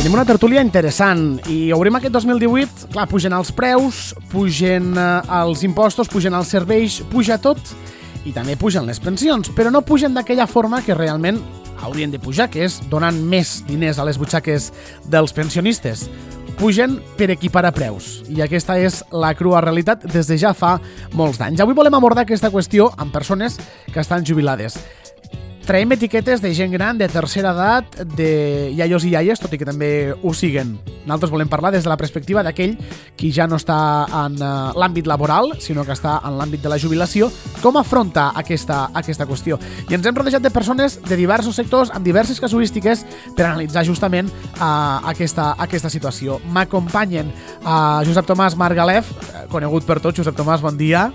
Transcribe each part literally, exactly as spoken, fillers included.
Tenim una tertúlia interessant i obrim aquest dos mil divuit, clar, pugen els preus, pugen els impostos, pugen els serveis, puja tot i també pugen les pensions, però no pugen d'aquella forma que realment haurien de pujar, que és donant més diners a les butxaques dels pensionistes. Pugen per equiparar preus i aquesta és la crua realitat des de ja fa molts d'anys. Avui volem abordar aquesta qüestió amb persones que estan jubilades. Traiem etiquetes de gent gran, de tercera edat, de iaios i iaies, tot i que també ho siguen. Nosaltres volem parlar des de la perspectiva d'aquell qui ja no està en uh, l'àmbit laboral, sinó que està en l'àmbit de la jubilació, com afronta aquesta, aquesta qüestió. I ens hem rodejat de persones de diversos sectors, amb diverses casuístiques, per analitzar justament uh, aquesta, aquesta situació. M'acompanyen uh, Josep Tomàs Margalef, conegut per tots. Josep Tomàs, bon dia.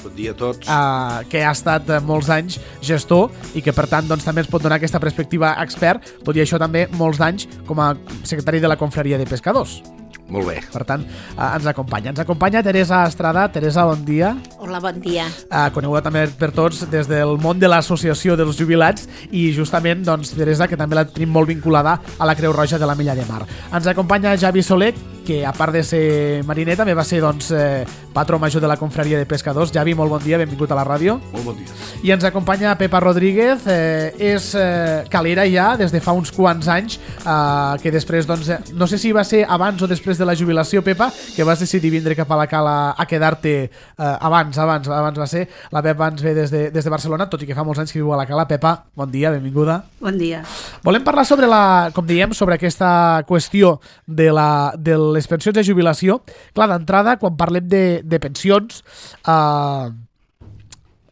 Bon dia a tots. Uh, que ha estat uh, molts anys gestor i que per tant doncs, també ens pot donar aquesta perspectiva expert, tot i això també molts d'anys com a secretari de la Confraria de Pescadors. Molt bé. Per tant, uh, ens acompanya. Ens acompanya Teresa Estrada. Teresa, bon dia. Hola, bon dia. Uh, coneguda també per tots des del món de l'associació dels jubilats i justament, doncs, Teresa, que també la tenim molt vinculada a la Creu Roja de la Milla de Mar. Ens acompanya Javi Soler, que a part de ser mariner també va ser doncs, eh, patró major de la Confraria de Pescadors. Javi, molt bon dia, benvingut a la ràdio. Molt bon dia. I ens acompanya Pepa Rodríguez, eh, és eh, calera ja des de fa uns quants anys, eh, que després, doncs, eh, no sé si va ser abans o després de la jubilació, Pepa, que vas decidir vindre cap a la cala a quedar-te eh, abans, abans, abans va ser. La Pepa ens ve des de, des de Barcelona, tot i que fa molts anys que viu a la cala. Pepa, bon dia, benvinguda. Bon dia. Volem parlar sobre la, com diem, sobre aquesta qüestió de, la, de les pensions de jubilació. Clar, d'entrada, quan parlem de, de pensions, eh,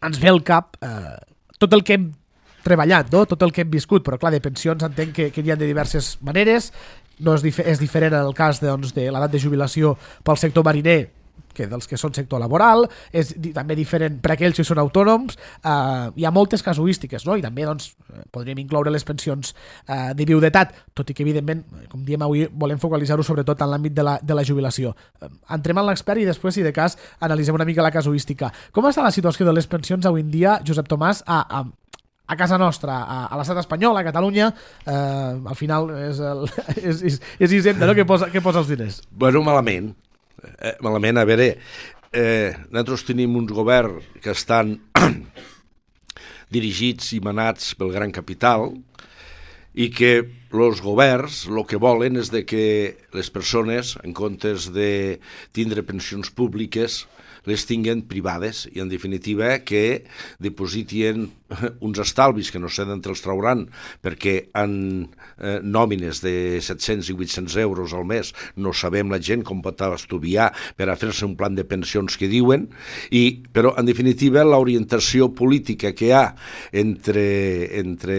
ens ve al cap eh, tot el que hem treballat, no? Tot el que hem viscut, però clar, de pensions entenc que, que hi ha de diverses maneres. No és, dif és diferent en el cas doncs, de l'edat de jubilació pel sector mariner que dels que són sector laboral, és di també diferent per aquells que són autònoms. Eh, hi ha moltes casuístiques, no? I també doncs, podríem incloure les pensions eh, de viudetat, tot i que evidentment, com diem avui, volem focalitzar-ho sobretot en l'àmbit de, la, de la jubilació. Eh, entrem en l'expert i després, si de cas, analitzem una mica la casuística. Com està la situació de les pensions avui en dia, Josep Tomàs, a, a a casa nostra, a, a l'estat espanyol, a Catalunya? Eh, al final és, el, és, és, és Hisenda, no?, que posa, que posa els diners. Bueno, malament. Eh, malament, a veure, eh, nosaltres tenim uns governs que estan dirigits i manats pel gran capital i que els governs el que volen és de que les persones, en comptes de tindre pensions públiques, les tinguen privades i, en definitiva, que dipositien uns estalvis que no sé d'on els trauran, perquè en eh, nòmines de set-cents i vuit-cents euros al mes no sabem la gent com pot estudiar per a fer-se un plan de pensions que diuen, i, però, en definitiva, l'orientació política que hi ha entre, entre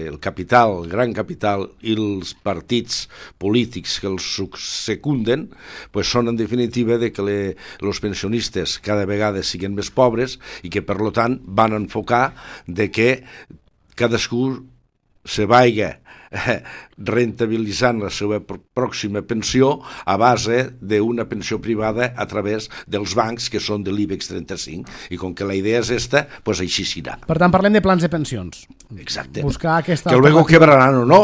el capital, el gran capital, i els partits polítics que els secunden, pues són, en definitiva, de que els pensionistes cada vegada siguin més pobres i que, per tant, van enfocar de que cadascú se vaiga rentabilitzant la seva pròxima pensió a base d'una pensió privada a través dels bancs que són de l'IBEX trenta-cinc, i com que la idea és esta, pues així serà. Per tant, parlem de plans de pensions. Exacte. Buscar aquesta... Que luego quebraran o no,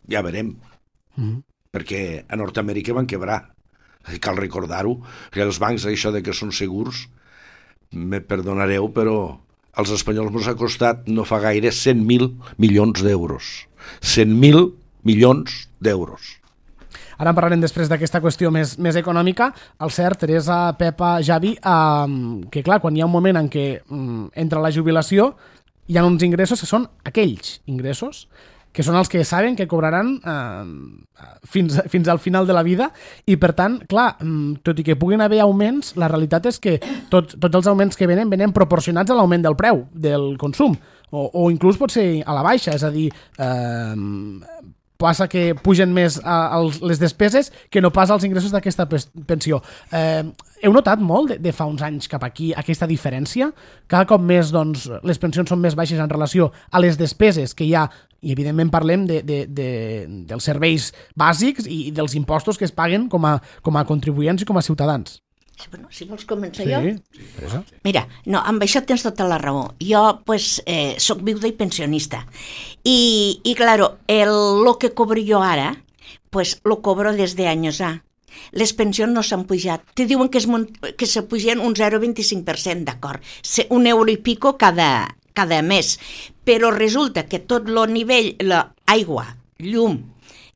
ja verem. Mm-hmm. Perquè a Nord-Amèrica van quebrar. Cal recordar-ho, que els bancs, això de que són segurs, me perdonareu, però als espanyols ens ha costat no fa gaire cent mil milions d'euros. cent mil milions d'euros. Ara en parlarem després d'aquesta qüestió més, més econòmica. El cert, Teresa, Pepa, Javi, eh, que clar, quan hi ha un moment en què eh, entra la jubilació, hi ha uns ingressos que són aquells ingressos que són els que saben que cobraran eh, fins, fins al final de la vida, i per tant, clar, tot i que puguin haver augments, la realitat és que tot, tots els augments que venen venen proporcionats a l'augment del preu del consum, o, o inclús pot ser a la baixa, és a dir, eh, passa que pugen més a, a les despeses que no pas als ingressos d'aquesta pensió. Eh, heu notat molt de, de fa uns anys cap aquí aquesta diferència? Cada cop més doncs, les pensions són més baixes en relació a les despeses que hi ha, i evidentment parlem de, de, de, dels serveis bàsics i dels impostos que es paguen com a, com a contribuents i com a ciutadans. Bueno, si vols començar sí, jo? Sí. Mira, no, amb això tens tota la raó. Jo, pues, eh, soc viuda i pensionista. I, i claro, el, lo que cobro jo ara, pues lo cobro desde años A. Les pensions no s'han pujat. Te diuen que, es, que se pugen un zero coma vint-i-cinc per cent, d'acord? Un euro i pico cada, cada mes. Però resulta que tot el nivell, l'aigua, llum,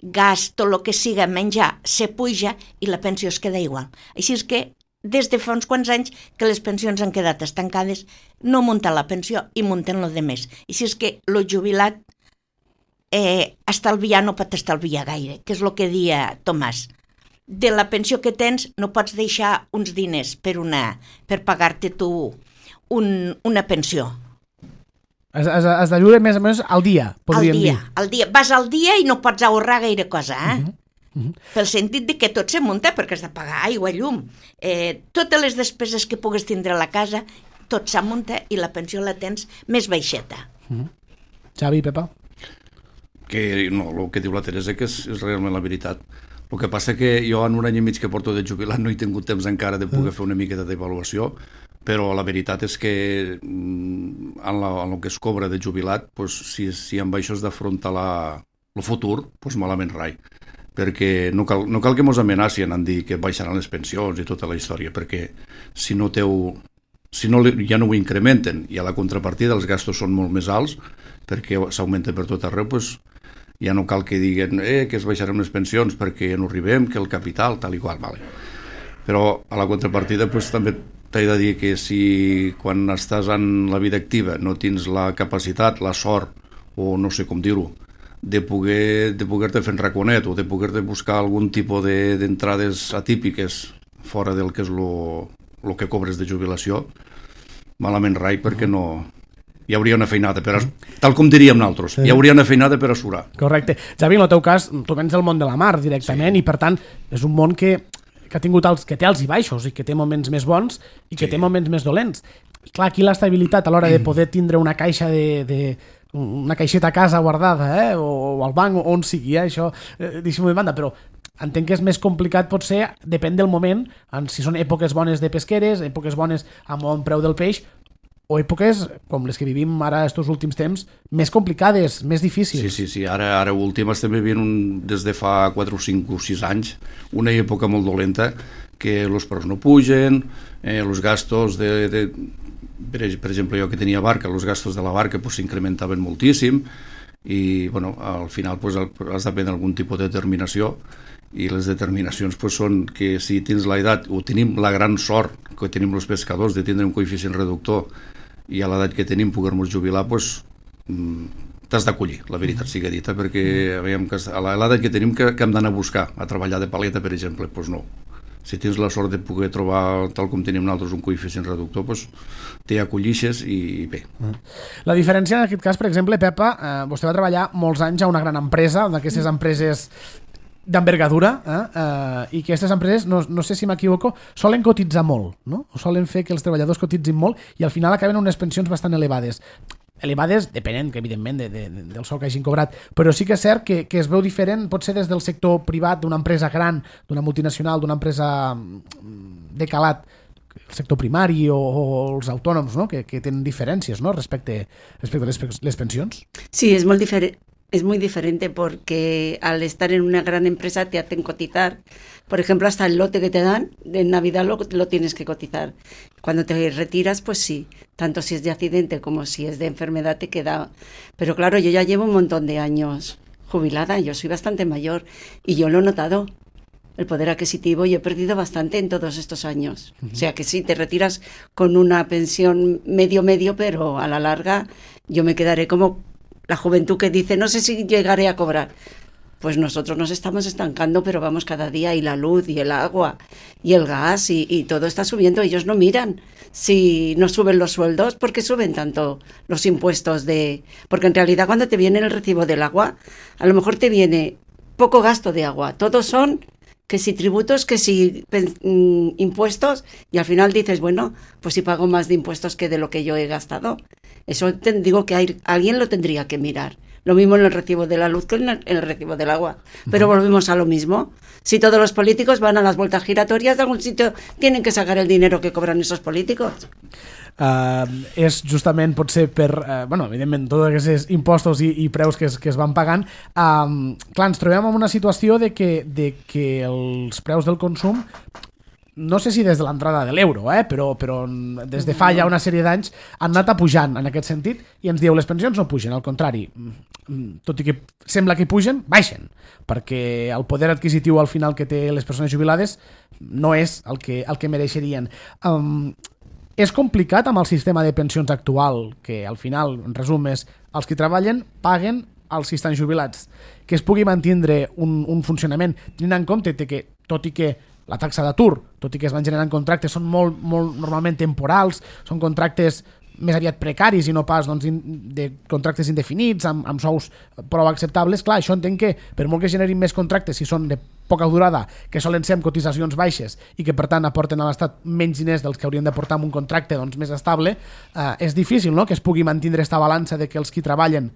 gas, tot el que siga menjar, se puja i la pensió es queda igual. Així és que des de fa uns quants anys que les pensions han quedat estancades, no munten la pensió i munten lo de més. Així és que el jubilat eh, estalviar no pot estalviar gaire, que és el que deia Tomàs. De la pensió que tens no pots deixar uns diners per, una, per pagar-te tu un, una pensió. Has, has, has de viure més o menys al dia, podríem al dia, dir. Al dia. Vas al dia i no pots ahorrar gaire cosa, eh? Uh -huh. Uh-huh. Pel sentit de que tot se munta perquè has de pagar aigua, llum, eh, totes les despeses que pugues tindre a la casa, tot s'amunta i la pensió la tens més baixeta. Uh-huh. Xavi, Pepa? Que no, el que diu la Teresa que és, és realment la veritat. El que passa que jo en un any i mig que porto de jubilat no he tingut temps encara de poder uh-huh. fer una miqueta d'avaluació, però la veritat és que en, la, en el que es cobra de jubilat, pues, si, si amb això has d'afrontar el futur, pues malament rai. Perquè no cal, no cal que mos amenacien en dir que baixaran les pensions i tota la història, perquè si no teu, si no, ja no ho incrementen i a la contrapartida els gastos són molt més alts perquè s'augmenta per tot arreu, pues, ja no cal que diguen eh, que es baixaran les pensions perquè no arribem, que el capital, tal i qual, vale. Però a la contrapartida pues, també t'he de dir que si quan estàs en la vida activa no tens la capacitat, la sort, o no sé com dir-ho, de poder de poder-te fer un raconet o de poder-te buscar algun tipus d'entrades de, atípiques fora del que és el que cobres de jubilació, malament rai, perquè no... Hi hauria una feinada, per a, tal com diríem nosaltres, sí. Hi hauria una feinada per assurar. Correcte. Javi, en el teu cas, tu vens del món de la mar directament, sí. I per tant és un món que, que ha tingut els, que té alts i baixos i que té moments més bons i que sí. Té moments més dolents. I clar, aquí l'estabilitat a l'hora de poder tindre una caixa de... de una caixeta a casa guardada, eh? o, o al banc, o on sigui, eh? Això, eh, deixem-ho de banda, però entenc que és més complicat, potser, depèn del moment, en si són èpoques bones de pesqueres, èpoques bones amb bon preu del peix, o èpoques, com les que vivim ara estos últims temps, més complicades, més difícils. Sí, sí, sí, ara, ara últim estem vivint un, des de fa quatre o cinc o sis anys, una època molt dolenta, que els preus no pugen, eh, els gastos de... de Per exemple, jo que tenia barca, els gastos de la barca pues, s'incrementaven moltíssim i bueno, al final pues, has de prendre algun tipus de determinació i les determinacions pues, són que si tens l'edat o tenim la gran sort que tenim els pescadors de tindre un coeficient reductor i a l'edat que tenim poder-nos jubilar, pues, t'has d'acollir, la veritat sigui dita, perquè veiem que a l'edat que tenim que, que hem d'anar a buscar, a treballar de paleta, per exemple, doncs no. Si tens la sort de poder trobar, tal com tenim nosaltres, un coeficient reductor, doncs t'hi acollixes i bé. La diferència en aquest cas, per exemple, Pepa, eh, vostè va treballar molts anys a una gran empresa, d'aquestes empreses d'envergadura, eh? Eh, i que aquestes empreses, no, no sé si m'equivoco, solen cotitzar molt, no? O solen fer que els treballadors cotitzin molt i al final acaben unes pensions bastant elevades. Elevades, depenent, que evidentment, de, de, del sou que hagin cobrat, però sí que és cert que, que es veu diferent, pot ser des del sector privat, d'una empresa gran, d'una multinacional, d'una empresa de calat, el sector primari o, o els autònoms, no? que, que tenen diferències, ¿no? respecte, respecte a les, les pensions. Sí, es molt diferent. Es muy diferente porque al estar en una gran empresa te hacen cotizar. Por ejemplo, hasta el lote que te dan, en Navidad lo, lo tienes que cotizar. Cuando te retiras, pues sí, tanto si es de accidente como si es de enfermedad te queda. Pero claro, yo ya llevo un montón de años jubilada, yo soy bastante mayor y yo lo he notado. El poder adquisitivo yo he perdido bastante en todos estos años. Uh-huh. O sea que sí, te retiras con una pensión medio-medio, pero a la larga yo me quedaré como... La juventud que dice, no sé si llegaré a cobrar. Pues nosotros nos estamos estancando, pero vamos cada día, y la luz, y el agua, y el gas, y, y todo está subiendo. Ellos no miran si no suben los sueldos, ¿por qué suben tanto los impuestos? de Porque en realidad cuando te viene el recibo del agua, a lo mejor te viene poco gasto de agua. Todos son que si tributos, que si mm, impuestos, y al final dices, bueno, pues si pago más de impuestos que de lo que yo he gastado. Eso te digo que hay, alguien lo tendría que mirar. Lo mismo en el recibo de la luz que en el, en el recibo del agua. Pero uh-huh. volvemos a lo mismo. Si todos los políticos van a las vueltas giratorias, de algún sitio tienen que sacar el dinero que cobran esos políticos. uh, és justament potser per, uh, bueno, evidentment, tots aquests impostos i, i preus que es, que es van pagant. Um, clar, ens trobem en una situació de que, de que els preus del consum, no sé si des de l'entrada de l'euro, eh? però, però des de fa ja una sèrie d'anys han anat a pujant en aquest sentit, i ens dieu les pensions no pugen, al contrari, tot i que sembla que pugen, baixen, perquè el poder adquisitiu al final que té les persones jubilades no és el que, el que mereixerien. Um, és complicat amb el sistema de pensions actual, que al final, en resum, és els que treballen paguen els que estan jubilats, que es pugui mantindre un, un funcionament, tenint en compte que, tot i que la taxa d'atur, tot i que es van generant contractes, són molt, molt normalment temporals, són contractes més aviat precaris i no pas doncs, de contractes indefinits, amb, amb sous prou acceptables. Clar, això entenc que per molt que generin més contractes, si són de poca durada, que solen ser amb cotitzacions baixes i que per tant aporten a l'Estat menys diners dels que haurien d'aportar amb un contracte doncs, més estable, eh, és difícil, no?, que es pugui mantenir aquesta balança de que els qui treballen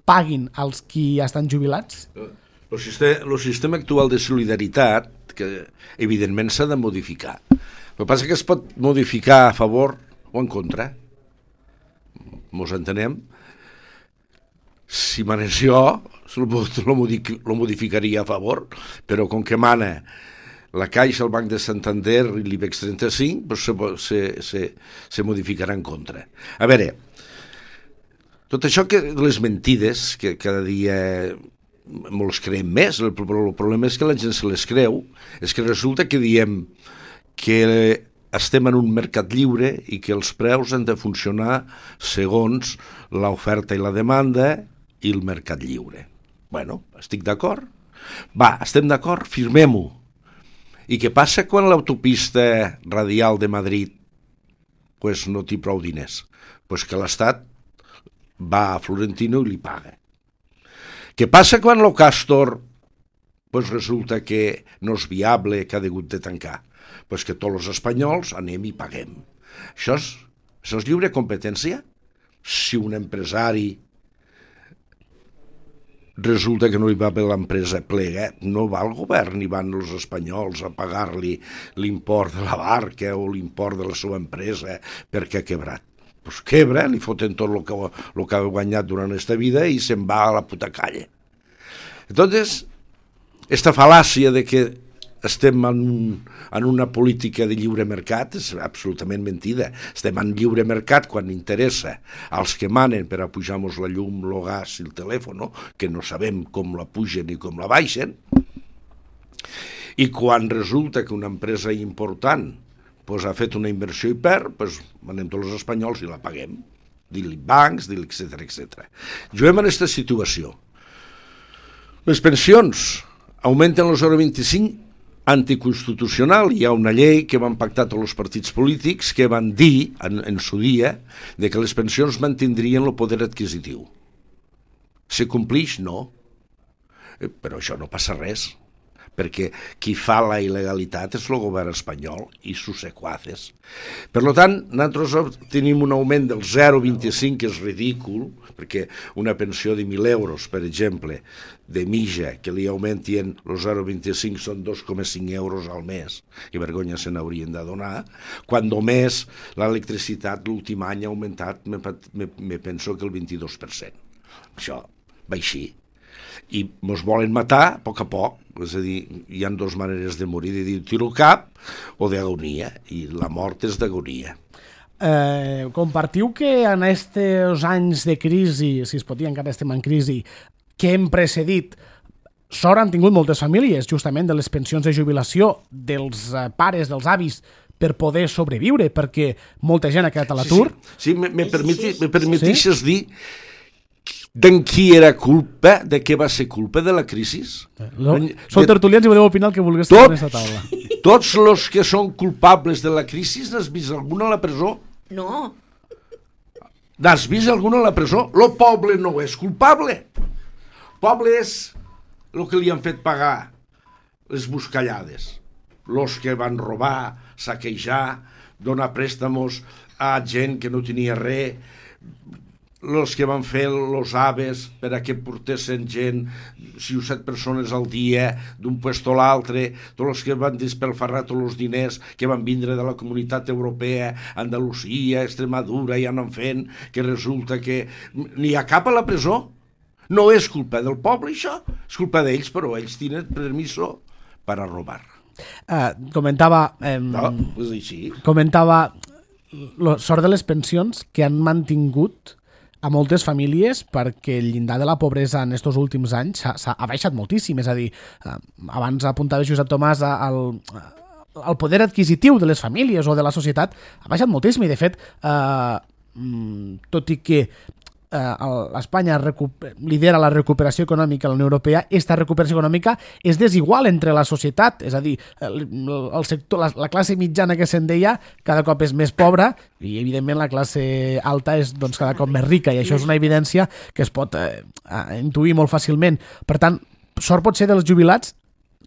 paguin als qui estan jubilats. El sistema, el sistema actual de solidaritat, que evidentment s'ha de modificar. El que passa és que es pot modificar a favor o en contra. Mos entenem? Si manés jo, lo modificaria a favor, però com que mana la Caixa, el Banc de Santander i l'IBEX trenta-cinc, doncs se, se, se, se modificarà en contra. A veure, tot això que les mentides, que cada dia molts creiem més, el, el problema és que la gent se les creu, és que resulta que diem que estem en un mercat lliure i que els preus han de funcionar segons l'oferta i la demanda i el mercat lliure. Bueno, estic d'acord. Va, estem d'acord, firmem-ho. I què passa quan l'autopista radial de Madrid pues, no té prou diners? Pues que l'Estat va a Florentino i li paga. Què passa quan el Castor pues resulta que no és viable, que ha hagut de tancar? Pues que tots els espanyols anem i paguem. Això és, això és lliure competència? Si un empresari resulta que no hi va bé l'empresa plega, no va el govern ni van els espanyols a pagar-li l'import de la barca o l'import de la seva empresa perquè ha quebrat. Pues quebra, li foten tot el que, el que ha guanyat durant aquesta vida i se'n va a la puta calle. Entonces, esta fal·làcia de que estem en, un, en una política de lliure mercat és absolutament mentida. Estem en lliure mercat quan interessa als que manen per a pujar-nos la llum, el gas i el telèfon, que no sabem com la pugen i com la baixen, i quan resulta que una empresa important pues, ha fet una inversió i perd, pues, anem tots els espanyols i la paguem. Dic-li bancs, dic-li, etcètera, etcètera. Juguem en aquesta situació. Les pensions augmenten el zero coma vint-i-cinc, anticonstitucional. Hi ha una llei que van pactar tots els partits polítics que van dir, en, en su dia, de que les pensions mantindrien el poder adquisitiu. Se complix? No. Però això no passa res, perquè qui fa la il·legalitat és el govern espanyol i sus secuaces. Per tant, nosaltres tenim un augment del zero coma vint-i-cinc, que és ridícul, perquè una pensió de mil euros, per exemple, de mitja, que li augmentien el zero coma vint-i-cinc són dos coma cinc euros al mes, que vergonya se n'haurien de donar, quan només l'electricitat l'últim any ha augmentat, me, me, me penso que el vint-i-dos per cent. Això va així. I ens volen matar a poc a poc, és a dir, hi ha dues maneres de morir, de dir tiro al cap o d'agonia, i la mort és d'agonia. Eh, compartiu que en aquests anys de crisi, si es pot dir encara estem en crisi, que hem precedit, sort han tingut moltes famílies, justament de les pensions de jubilació, dels eh, pares, dels avis, per poder sobreviure, perquè molta gent ha quedat a l'atur. Sí, sí. sí me, me, permeti, me permetixes sí? dir d'en qui era culpa, de què va ser culpa de la crisi? No, sou tertulians i podeu opinar el que vulgueu tot, en aquesta taula. Tots els que són culpables de la crisi, n'has vist algun a la presó? No. N'has vist algun a la presó? Lo poble no és culpable. El poble és el que li han fet pagar les buscallades. Los que van robar, saquejar, donar préstamos a gent que no tenia res. els que van fer els aves per a que portessin gent, si set persones al dia, d'un puesto a l'altre, tots els que van despelfarrar tots els diners que van vindre de la comunitat europea, Andalusia, Extremadura, i anen fent, que resulta que n'hi ha cap a la presó. No és culpa del poble, això, és culpa d'ells, però ells tenen permiso per a robar. Uh, comentava... Eh, no, és així. Comentava la sort de les pensions que han mantingut a moltes famílies, perquè el llindar de la pobresa en aquests últims anys s'ha baixat moltíssim. És a dir, eh, abans apuntava Josep Tomàs al, al poder adquisitiu de les famílies o de la societat, ha baixat moltíssim i, de fet, eh, tot i que Espanya lidera la recuperació econòmica a la Unió Europea, aquesta recuperació econòmica és desigual entre la societat, és a dir, el, el sector, la, la classe mitjana que se'n deia cada cop és més pobra i evidentment la classe alta és doncs, cada cop més rica, i això és una evidència que es pot eh, intuir molt fàcilment. Per tant, sort pot ser dels jubilats,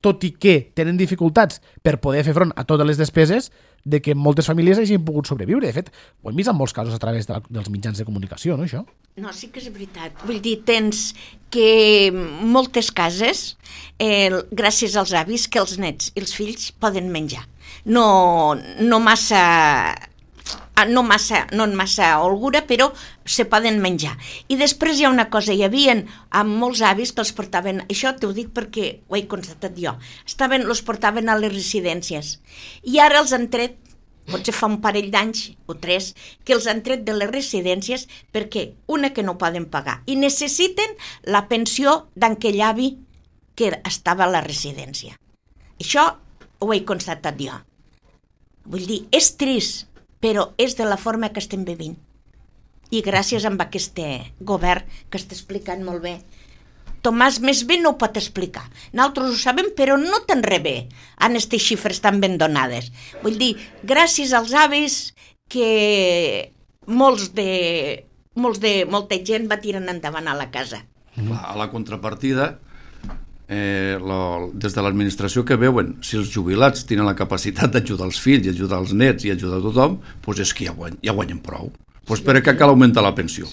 tot i que tenen dificultats per poder fer front a totes les despeses, de que moltes famílies hagin pogut sobreviure. De fet, ho hem vist en molts casos a través de la, dels mitjans de comunicació, no, això? No, sí que és veritat. Vull dir, tens que moltes cases, eh, gràcies als avis, que els nets i els fills poden menjar. No, no massa... no massa, no en massa holgura, però se poden menjar. I després hi ha una cosa, hi havia amb molts avis que els portaven, això t'ho dic perquè ho he constatat jo, estaven, els portaven a les residències, i ara els han tret, potser fa un parell d'anys o tres, que els han tret de les residències perquè, una, que no poden pagar, i necessiten la pensió d'aquell avi que estava a la residència. Això ho he constatat jo. Vull dir, és trist, però és de la forma que estem vivint. I gràcies a aquest govern que està explicant molt bé. Tomàs més bé no ho pot explicar. Nosaltres ho sabem, però no tan re bé en aquestes xifres tan ben donades. Vull dir, gràcies als avis que molts de, molts de, molta gent va tirant endavant a la casa. A la contrapartida, Eh, la, des de l'administració que veuen, si els jubilats tenen la capacitat d'ajudar els fills i ajudar els nets i ajudar a tothom, doncs és que ja, guany, ja guanyen prou. Doncs per què cal augmentar la pensió?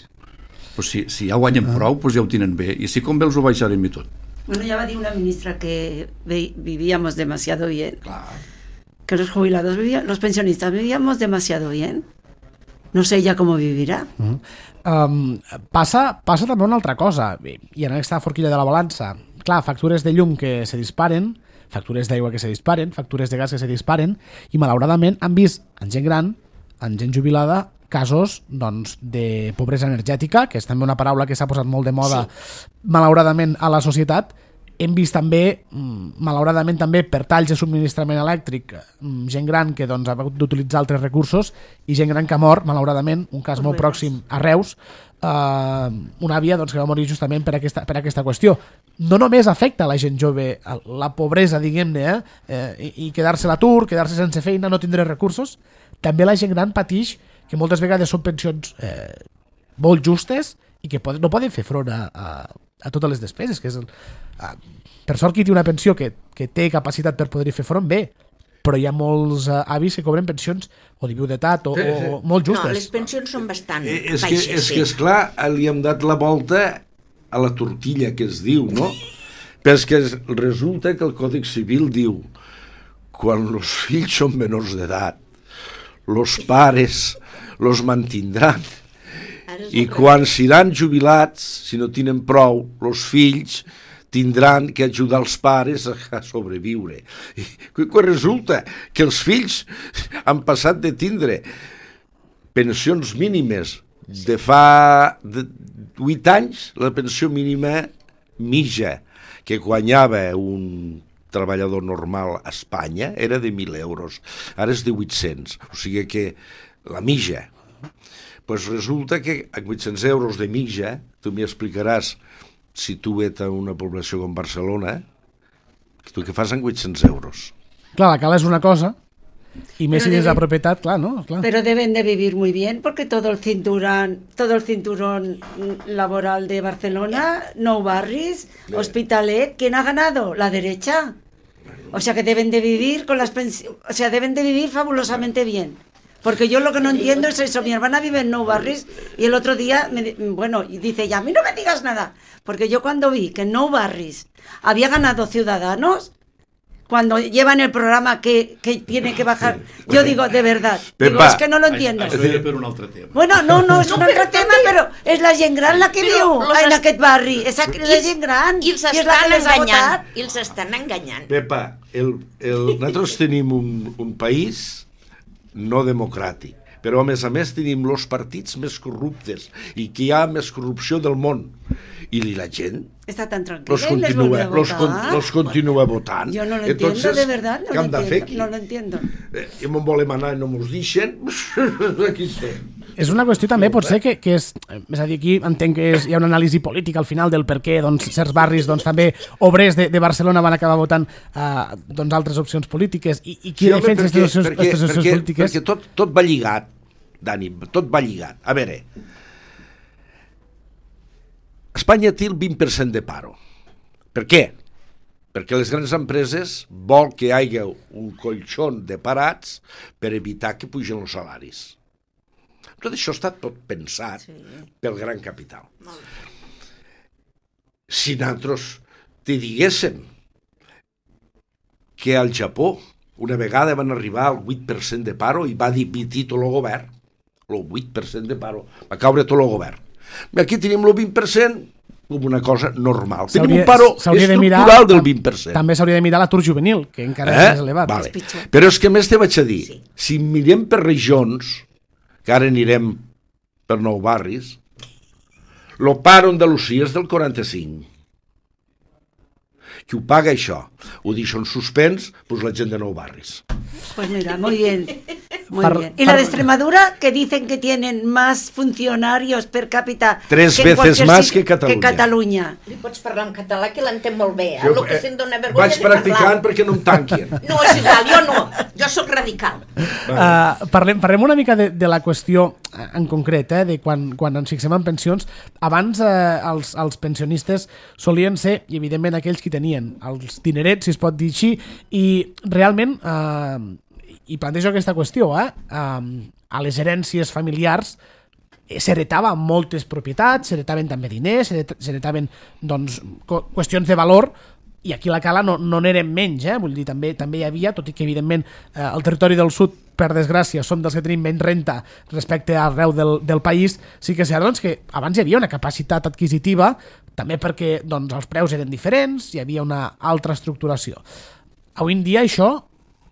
Doncs si, si ja guanyen prou, doncs ja ho tenen bé, i si com bé els ho baixarem i tot. Bueno, ya va a decir una ministra que vivíamos demasiado bien. Claro. Que los jubilados vivían, los pensionistas vivíamos demasiado bien. No sé ya cómo vivirà. Uh-huh. um, passa, passa també una altra cosa, i en aquesta forquilla de la balança. Clar, factures de llum que se disparen, factures d'aigua que se disparen, factures de gas que se disparen, i malauradament han vist en gent gran, en gent jubilada, casos doncs, de pobresa energètica, que és també una paraula que s'ha posat molt de moda, sí, malauradament a la societat. Hem vist també, malauradament també, per talls de subministrament elèctric, gent gran que doncs, ha hagut d'utilitzar altres recursos i gent gran que ha mort, malauradament, un cas molt pròxim a Reus, eh, una àvia doncs, que va morir justament per aquesta, per aquesta qüestió. No només afecta a la gent jove la pobresa, diguem-ne, eh, eh, i quedar-se a l'atur, quedar-se sense feina, no tindre recursos, també la gent gran patix que moltes vegades són pensions eh, molt justes i que poden, no poden fer front a, a, a totes les despeses, que és el, a, per sort qui té una pensió que, que té capacitat per poder-hi fer front, bé, però hi ha molts uh, avis que cobren pensions o de viudetat o, sí, sí. o molt justes. No, les pensions són bastant eh, és baixes. Que, és sí. que, esclar, li hem dat la volta a la tortilla, que es diu, no? Però és que resulta que el Codi Civil diu quan els fills són menors d'edat, els pares los mantindran. I quan seran jubilats, si no tenen prou, els fills tindran que ajudar els pares a sobreviure. I quan resulta que els fills han passat de tindre pensions mínimes de fa vuit anys, la pensió mínima mitja que guanyava un treballador normal a Espanya era de mil euros, ara és de vuit-cents, o sigui que la mitja. Pues resulta que a vuit-cents euros de mitja, tu m'hi explicaràs, si tu ets a una població com Barcelona, tu què fas amb vuit-cents euros? Clar, la cala és una cosa, y més si tienes la propietat, clar, ¿no? Clar. Pero deben de vivir muy bien, porque todo el cinturón, todo el cinturón laboral de Barcelona, Nou Barris, Bé. Hospitalet, ¿quién ha ganado? La derecha. O sea que deben de vivir con las pensiones, o sea, deben de vivir fabulosamente bien. Porque yo lo que no entiendo es eso. Mi hermana vive en Nou Barris y el otro día, me, bueno, y dice, ya, a mí no me digas nada. Porque yo cuando vi que en Nou Barris había ganado Ciudadanos, cuando llevan el programa que, que tiene que bajar, yo digo, de verdad, digo, Pepa, es que no lo entiendo. Això era per un altre tema. Bueno, no, no, és un altre tema, però és la gent gran la que Però viu los en est- aquest barri. És la I- gent gran. I els i és la estan que les ha enganyant. votat. I els estan enganyant. Pepa, el, el, nosaltres tenim un, un país no democràtic, però a més a més tenim els partits més corruptes i que hi ha més corrupció del món. I la gent Està tan tranquil·la los i les continua, vuelve a los, con, votar. los continua votant. Yo no lo entiendo, Entonces, de verdad, no què lo hem de fer entiendo, aquí? no lo entiendo. Eh, I me'n volem anar i no mos deixen, aquí estem. És una qüestió també, potser, que, que és... És a dir, aquí entenc que és, hi ha una anàlisi política al final del per què doncs, certs barris, doncs, també obrers de, de Barcelona van acabar votant uh, doncs, altres opcions polítiques. I, i qui Sí, home, defensa perquè, aquestes opcions, perquè, aquestes opcions perquè, polítiques? perquè tot, tot va lligat, Dani, tot va lligat. A veure, Espanya té el vint per cent de paro. Per què? Perquè les grans empreses vol que hi hagi un colxón de parats per evitar que pugen els salaris. Tot això està tot pensat sí. pel gran capital. Si nosaltres te diguéssim que al Japó una vegada van arribar al vuit per cent de paro i va dimitir tot el govern, el vuit per cent de paro, va caure tot el govern. Aquí tenim el vint per cent com una cosa normal. Tenim un paro estructural del vint per cent. També s'hauria de mirar l'atur juvenil, que encara eh? és més elevat. Vale. Però és que més te vaig a dir, sí. si mirem per regions, que ara anirem per Nou Barris, el paro a Andalusia és del quaranta-cinc. Qui ho paga això? Ho deixa en suspens, pues la gent de Nou Barris. Pues mira, muy bien. Muy Par, bien. Y la de Extremadura, que dicen que tienen más funcionarios per cápita tres que veces más que Catalunya. Que Catalunya. Li pots parlar en català, que l'entén molt bé. Eh? Jo, El que eh, se'n dona vergonya vaig de parlar. practicant perquè no em tanquin. No, és igual, jo no. Jo sóc radical. Uh, parlem, parlem una mica de, de la qüestió en concret, eh, de quan, quan ens fixem en pensions. Abans eh, els, els pensionistes solien ser, i evidentment aquells que tenien els dinerets, si es pot dir així, i realment, eh, i plantejo aquesta qüestió, eh, eh, a les herències familiars s'heretaven moltes propietats, s'heretaven també diners, s'heretaven doncs, qüestions de valor, i aquí a la Cala no, no n'eren menys, eh? Vull dir, també també hi havia, tot i que evidentment eh, el territori del sud, per desgràcia, som dels que tenim menys renta respecte al arreu del, del país, sí que és cert doncs, que abans hi havia una capacitat adquisitiva, també perquè doncs, els preus eren diferents, hi havia una altra estructuració. Avui en dia això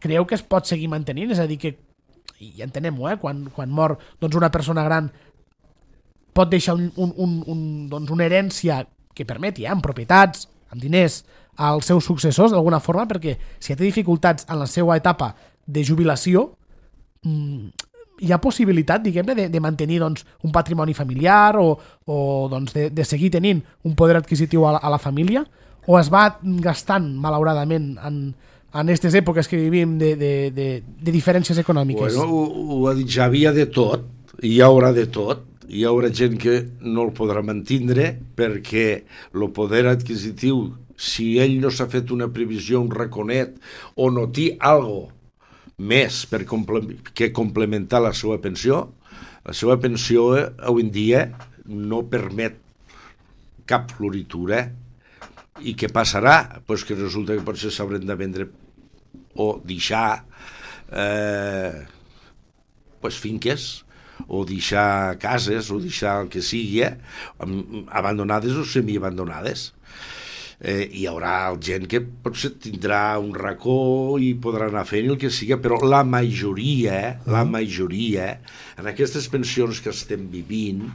creieu que es pot seguir mantenint? És a dir, que, i entenem-ho, eh? quan, quan mor doncs, una persona gran pot deixar un, un, un, un, doncs, una herència que permeti, eh? amb propietats, amb diners, als seus successors d'alguna forma, perquè si té dificultats en la seva etapa de jubilació, mmm, hi ha possibilitat, diguem-ne, de, de mantenir doncs, un patrimoni familiar o, o doncs, de, de seguir tenint un poder adquisitiu a la, a la família, o es va gastant, malauradament, en, en aquestes èpoques que vivim de, de, de, de diferències econòmiques? Bueno, ho, ho ha dit, ja havia de tot, hi haurà de tot. Hi haurà gent que no el podrà mantindre perquè el poder adquisitiu, si ell no s'ha fet una previsió, un raconet, o no té algo més per comple- que complementar la seva pensió, la seva pensió eh, avui en dia no permet cap floritura. I què passarà? Pues que resulta que potser s'hauran de vendre o deixar eh, pues finques, o deixar cases, o deixar el que sigui, eh, abandonades o semiabandonades. Eh, hi haurà gent que potser tindrà un racó i podrà anar fent el que sigui, però la majoria, la majoria, en aquestes pensions que estem vivint,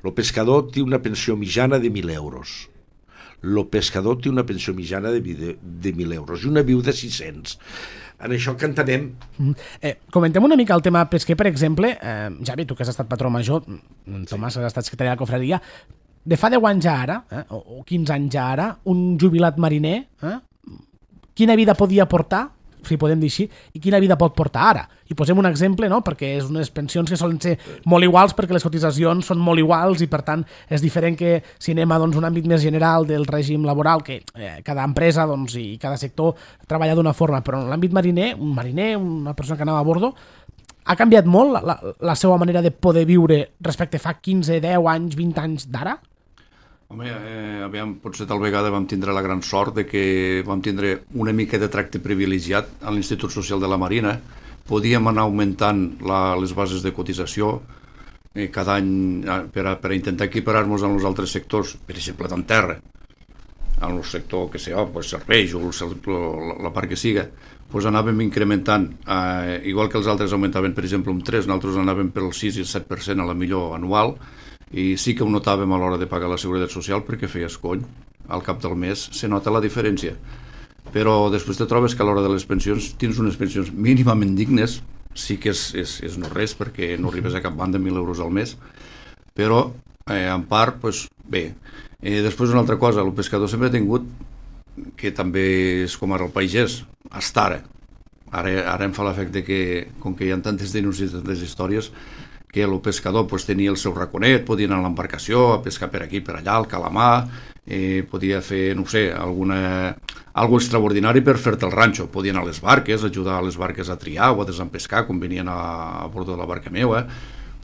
el pescador té una pensió mitjana de mil euros. El pescador té una pensió mitjana de, de, de mil euros i una viu de sis-cents. En això que entenem. Eh, comentem una mica el tema pesquer, per exemple. Eh, Javi, tu que has estat patró major, Tomàs, que has estat secretari de la cofradia, de fa deu anys ja ara, eh, o quinze anys ja ara, un jubilat mariner, eh, quina vida podia portar? si podem dir així, i quina vida pot portar ara. I posem un exemple, no?, perquè és unes pensions que solen ser molt iguals perquè les cotitzacions són molt iguals i per tant és diferent que si anem a doncs, un àmbit més general del règim laboral, que eh, cada empresa doncs, i cada sector treballa d'una forma, però en l'àmbit mariner, un mariner, una persona que anava a bordo, ha canviat molt la, la, la seva manera de poder viure respecte fa quinze, deu anys, vint anys d'ara? Home, eh, aviam, potser tal vegada vam tindre la gran sort de que vam tindre una mica de tracte privilegiat a l'Institut Social de la Marina. Podíem anar augmentant la, les bases de cotització eh, cada any per a, per a intentar equiparar-nos amb els altres sectors, per exemple, d'en terra, en el sector que sé, oh, pues, serveis o el, la, la part que siga, pues anàvem incrementant, eh, igual que els altres augmentaven, per exemple, un tres, nosaltres anàvem pel sis i el set per cent a la millor anual, i sí que ho notàvem a l'hora de pagar la Seguretat Social perquè feies cony, al cap del mes se nota la diferència, però després te trobes que a l'hora de les pensions tens unes pensions mínimament dignes, sí que és, és, és no res perquè no arribes a cap banda mil euros al mes, però eh, en part, pues, bé. Eh, després una altra cosa, el pescador sempre ha tingut, que també és com ara el pagès, hasta ara, ara, ara em fa l'efecte que, com que hi ha tantes denúncies i tantes històries, que el pescador pues, tenia el seu raconet, podia anar a l'embarcació a pescar per aquí, per allà, al calamar, eh, podia fer, no sé, alguna, algo extraordinari per fer-te el ranxo. Podia anar a les barques, ajudar a les barques a triar o a desempescar, quan venien a, a bord de la barca meva.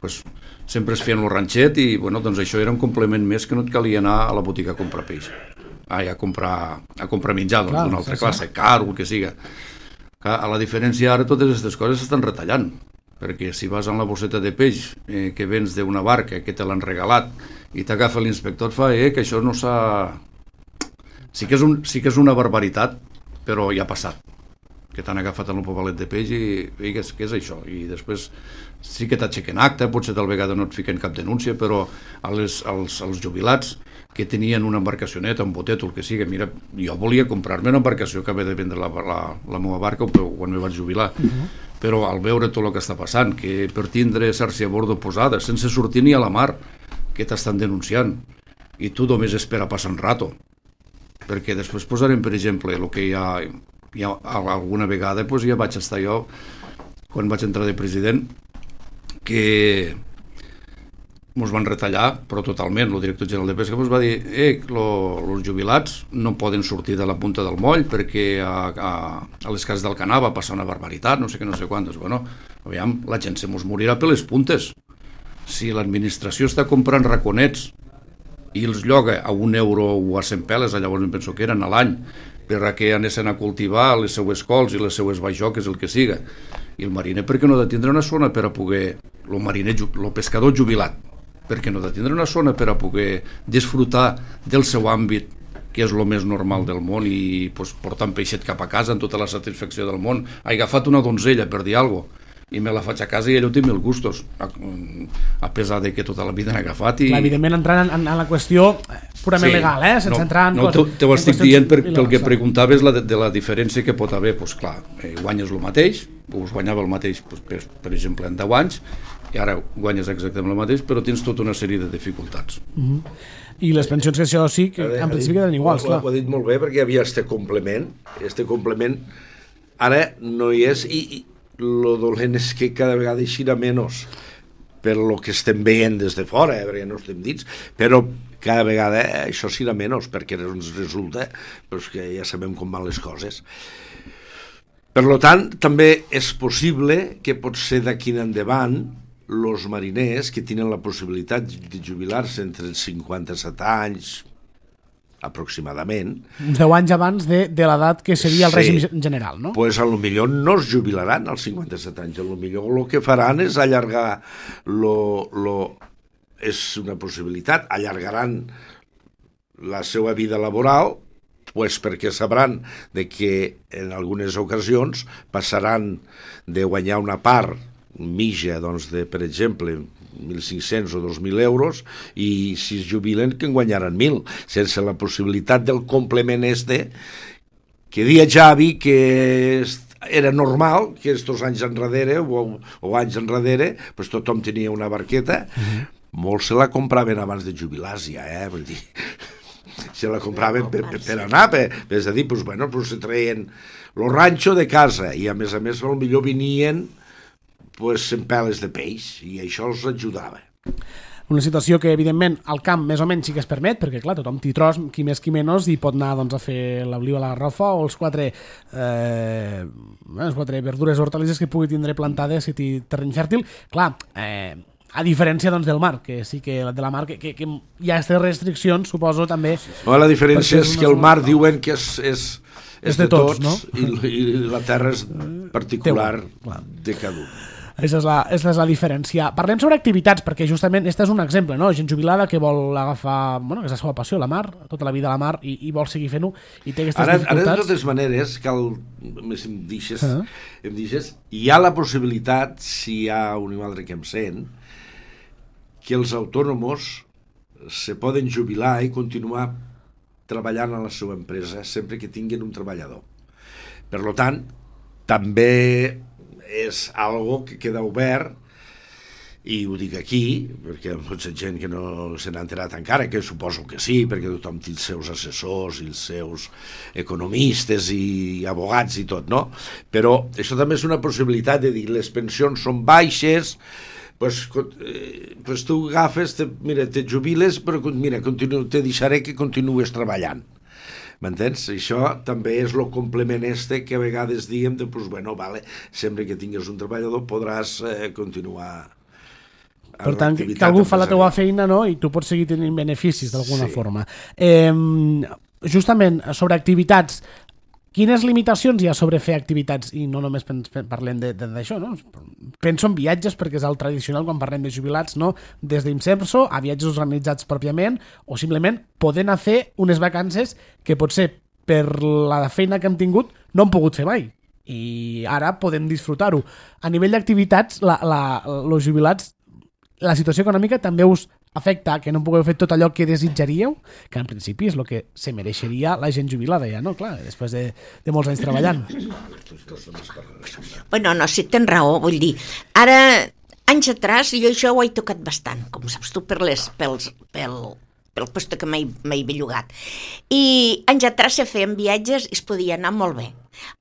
Pues, sempre es feien el ranxet i bueno, doncs això era un complement més que no et calia anar a la botiga a comprar peix. Ai, a comprar, a comprar menjar d'una doncs, altra sí, classe, sí. Car o el que siga. A la diferència ara totes aquestes coses s'estan retallant, perquè si vas amb la bosseta de peix eh, que vens d'una barca que te l'han regalat i t'agafa l'inspector et fa eh, que això no s'ha... Sí que, és un, sí que és una barbaritat, però ja ha passat, que t'han agafat en un pobalet de peix i, i què, és, què és això? I després sí que t'aixequen acte, potser tal vegada no et fiquen cap denúncia, però a les, als, als jubilats que tenien una embarcacioneta, un botet o el que sigui, mira, jo volia comprar-me una embarcació que havia de vendre la, la, la meva barca quan me vaig jubilar, uh-huh. Però al veure tot el que està passant, que per tindre xarxa a bordo posada, sense sortir ni a la mar, que t'estan denunciant, i tu només espera passar un rato, perquè després posarem, per exemple, el que hi ha, hi ha alguna vegada, doncs ja vaig estar jo, quan vaig entrar de president, que ens van retallar, però totalment. El director general de Pesca ens va dir eh, els jubilats no poden sortir de la punta del moll perquè a, a, a les cases del Canà va passar una barbaritat, no sé què, no sé quantes. Bueno, aviam, la gent se mos morirà per les puntes. Si l'administració està comprant raconets i els lloga a un euro o a cent peles, llavors em penso que eren a l'any, per a que anessin a cultivar les seues cols i les seues bajoques, el que siga. I el mariner, per què no ha de tindre una zona per a poder... El mariner, el pescador jubilat, perquè no ha de tindre una zona per a poder disfrutar del seu àmbit, que és el més normal del món, i pues, portar un peixet cap a casa amb tota la satisfacció del món. He agafat una donzella, per dir alguna cosa, i me la faig a casa i allò té mil gustos, a, a pesar de que tota la vida n'he agafat. I... Clar, evidentment entrant en, en la qüestió purament sí, legal, eh? Sense no, entrar en... No, te, te ho estic dient per, pel que preguntaves la de, de la diferència que pot haver. Pues, clar, eh, guanyes el mateix, us guanyava el mateix, pues, per, per exemple, en deu anys, i ara guanyes exactament el mateix, però tens tota una sèrie de dificultats. Uh-huh. I les pensions que això sí, que en principi queden iguals, clar. Ho ha dit molt bé, perquè hi havia este complement, este complement ara no hi és, i, i lo dolent és que cada vegada eixirà menys per lo que estem veient des de fora, eh, perquè no estem dits, però cada vegada eh, això serà menys, perquè ens resulta pues, que ja sabem com van les coses. Per lo tant, també és possible que potser d'aquí en endavant els mariners que tenen la possibilitat de jubilar-se entre els cinquanta-set anys aproximadament. deu anys abans de, de l'edat que seria el sí, règim general, no? Pues a lo millor no es jubilaran als cinquanta-set anys, a lo millor el que faran és allargar lo, lo, és una possibilitat, allargaran la seva vida laboral, pues perquè sabran de que en algunes ocasions passaran de guanyar una part mitja, doncs, de, per exemple, mil cinc-cents o dos mil euros, i si es jubilen que en guanyaran mil, sense la possibilitat del complement este, que dia Javi que era normal que estos anys enrere o, o anys enrere pues tothom tenia una barqueta, uh-huh. Molts se la compraven abans de jubilar-se ja, eh? Vull dir, se la compraven per, per, per anar, per, per és a dir, pues, bueno, pues, se treien el ranxo de casa i a més a més potser venien pues, en peles de peix i això els ajudava. Una situació que, evidentment, al camp més o menys sí que es permet, perquè, clar, tothom t'hi tros, qui més qui menys, i pot anar doncs, a fer l'oliva a la garrofa o els quatre, eh, les quatre verdures o hortalisses que pugui tindre plantades si té terreny fèrtil. Clar, eh, a diferència doncs, del mar, que sí que de la mar, que, que, que hi ha aquestes restriccions, suposo, també... No, la diferència és que el mar diuen que és, és, és, és de, de tots, tots no? i, i la terra és particular de cada un. Aquesta és, la, aquesta és la diferència. Parlem sobre activitats, perquè justament este és un exemple, no? Gent jubilada que vol agafar, bueno, que és la seva passió, la mar, tota la vida a la mar, i, i vol seguir fent-ho, i té aquestes ara, dificultats. Ara, de totes maneres, cal, més em deixes, uh -huh. em deixes, hi ha la possibilitat, si hi ha un altre que em sent, que els autònoms se poden jubilar i continuar treballant a la seva empresa sempre que tinguin un treballador. Per lo tant, també és algo que queda obert, i ho dic aquí, perquè hi ha molta gent que no se n'ha enterat encara, que suposo que sí, perquè tothom té els seus assessors i els seus economistes i abogats i tot, no? Però això també és una possibilitat de dir, les pensions són baixes, pues, eh, pues tu agafes, te, mira, te jubiles, però mira, continu, te deixaré que continues treballant. M'entens? Això també és el complement este que a vegades diem de, pues, bueno, vale, sempre que tingues un treballador podràs eh, continuar. Per tant, que algú fa la teua feina, no?, i tu pots seguir tenint beneficis d'alguna sí. forma. Eh, justament, sobre activitats, quines limitacions hi ha sobre fer activitats? I no només parlem d'això, no? Penso en viatges, perquè és el tradicional quan parlem de jubilats, no? Des d'Imserso a viatges organitzats pròpiament, o simplement poder anar a fer unes vacances que potser per la feina que hem tingut no hem pogut fer mai. I ara podem disfrutar-ho. A nivell d'activitats, la, la, els jubilats, la situació econòmica també us afecta que no pugueu fer tot allò que desitjaríeu, que en principi és el que se mereixeria la gent jubilada ja, no? Clar, després de, de molts anys treballant. Bueno, no, si tens raó, vull dir, ara, anys atrás, jo això ho he tocat bastant, com saps tu, per les, pels, pel, pel posto que m'he bellugat. I anys atrás se feien viatges i es podia anar molt bé.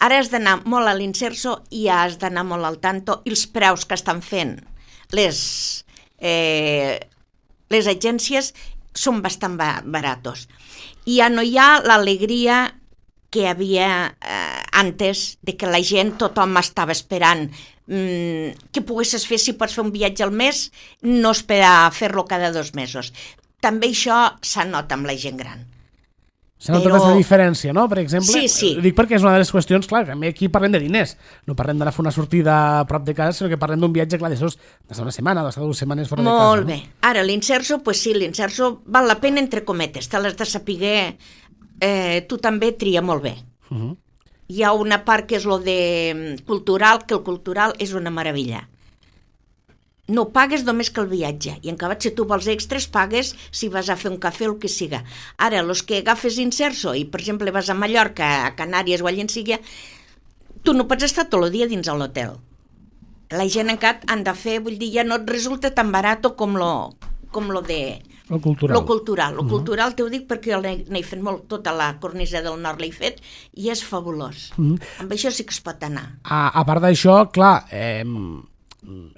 Ara has d'anar molt a l'Imserso i has d'anar molt al tanto, i els preus que estan fent les... Eh, les agències són bastant baratos i ja no hi ha l'alegria que hi havia eh, antes, de que la gent, tothom estava esperant mm, que poguessis fer, si pots fer un viatge al mes, no esperar a fer-lo cada dos mesos. També això s'anota amb la gent gran. S'ha notat aquesta diferència, no? Per exemple, sí, sí. Dic perquè és una de les qüestions, clar, que aquí parlem de diners, no parlem d'anar a fer una sortida a prop de casa, sinó que parlem d'un viatge, clar, d'això d'estar una setmana, d'estar dues setmanes fora Molt de casa. Molt bé. No? Ara, l'Imserso, pues sí, l'Imserso val la pena entre cometes, te l'has de saber, eh, tu també tria molt bé. Uh -huh. Hi ha una part que és lo de cultural, que el cultural és una meravella. No pagues només que el viatge, i en acabat, si tu vols extras, pagues si vas a fer un cafè o el que siga. Ara, els que agafes Imserso i, per exemple, vas a Mallorca, a Canàries o allà en sigui, tu no pots estar tot el dia dins l'hotel. La gent encara han de fer, vull dir, ja no et resulta tan barat com lo, com lo de... Lo cultural. Lo cultural. Lo uh -huh. cultural t'ho dic perquè jo n'he fet molt, tota la cornisa del nord l'he fet, i és fabulós. Uh -huh. Amb això sí que es pot anar. A, a part d'això, clar... Eh...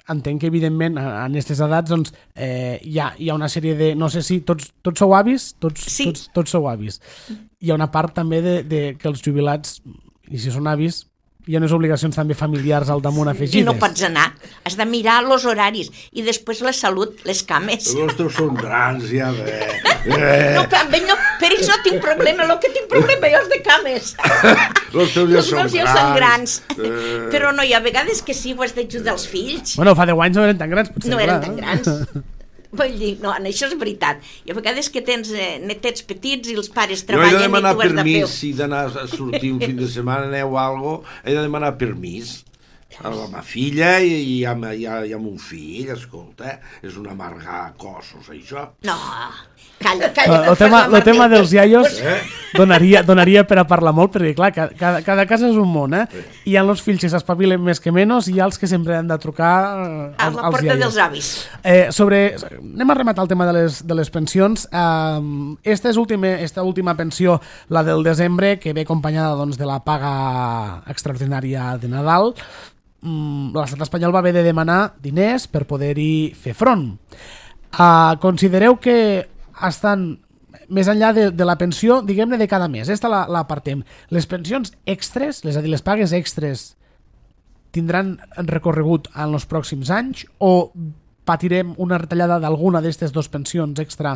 entenc que evidentment en aquestes edats doncs, eh, hi, ha, hi ha una sèrie de, no sé si tots, tots sou avis, tots, sí. tots, tots sou avis, hi ha una part també de, de que els jubilats, i si són avis, hi ha unes obligacions també familiars al damunt afegides. I no pots anar, has de mirar els horaris i després la salut, les cames. Els teus són grans ja bé. Eh. No, però no, per ells no tinc problema, el que tinc problema jo és de cames. Els teus ja els són meus ja grans. són grans. Eh. Però no, hi ha vegades que sí, ho has d'ajudar els fills. Bueno, fa deu anys no eren tan grans, potser. No eren tan grans. Vull dir, no, això és veritat. I a vegades que tens eh, netets petits i els pares treballen i tu has de fer... Jo he de demanar permís, si d'anar a sortir un fin de setmana, aneu a algo, he de demanar permís a la meva filla i, i, a, i, a, i a mon fill, escolta, és un amargar cossos, això. No, calla, calla. El tema, el tema dels iaios... Eh? donaria, donaria per a parlar molt, perquè clar, cada, cada casa és un món, eh? Hi ha els fills que s'espavilen més que menys i hi ha els que sempre han de trucar eh, a als, la als porta iaios. dels avis. Eh, sobre, anem a rematar el tema de les, de les pensions. Eh, esta, és última, esta última pensió, la del desembre, que ve acompanyada doncs, de la paga extraordinària de Nadal, l'estat espanyol va haver de demanar diners per poder-hi fer front. Uh, considereu que estan més enllà de, de la pensió, diguem-ne, de cada mes. Esta la, la apartem. Les pensions extres, és a dir, les pagues extres, tindran recorregut en els pròxims anys o patirem una retallada d'alguna d'aquestes dues pensions extra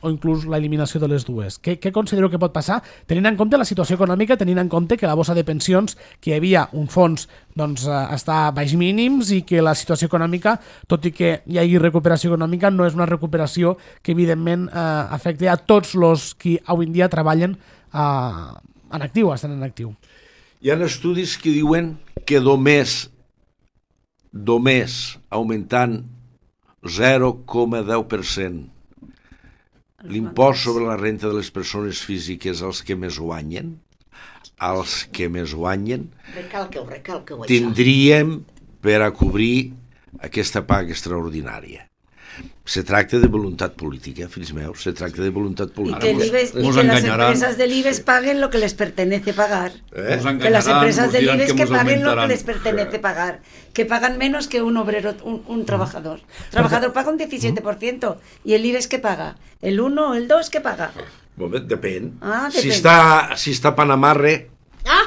o inclús l'eliminació de les dues? Què, què considereu que pot passar tenint en compte la situació econòmica, tenint en compte que la bossa de pensions, que hi havia un fons, doncs eh, està a baix mínims i que la situació econòmica, tot i que hi hagi recuperació econòmica, no és una recuperació que evidentment eh, afecti a tots els que avui en dia treballen eh, en actiu, estan en actiu. Hi ha estudis que diuen que només, només augmentant zero coma deu per cent l'impost sobre la renta de les persones físiques als que més guanyen, als que més guanyen, Recalqueu, recalqueu això. tindríem per a cobrir aquesta paga extraordinària. Se tracta de voluntat política, fills meus, se tracta de voluntat Y política. que, el IBEX, y Nos que las engañarán. empresas del IBEX paguen lo que les pertenece pagar. Eh? Nos Que las engañarán, empresas nos del dirán IBEX que nos paguen lo que aumentarán. les pertenece pagar. Que pagan menos que un obrero, un, un trabajador. Trabajador paga un diecisiete por ciento. ¿Y el IBEX qué paga? ¿El uno o el dos qué paga? Moment, depèn. Ah, Si depèn. està, si està Panamarre, Ah!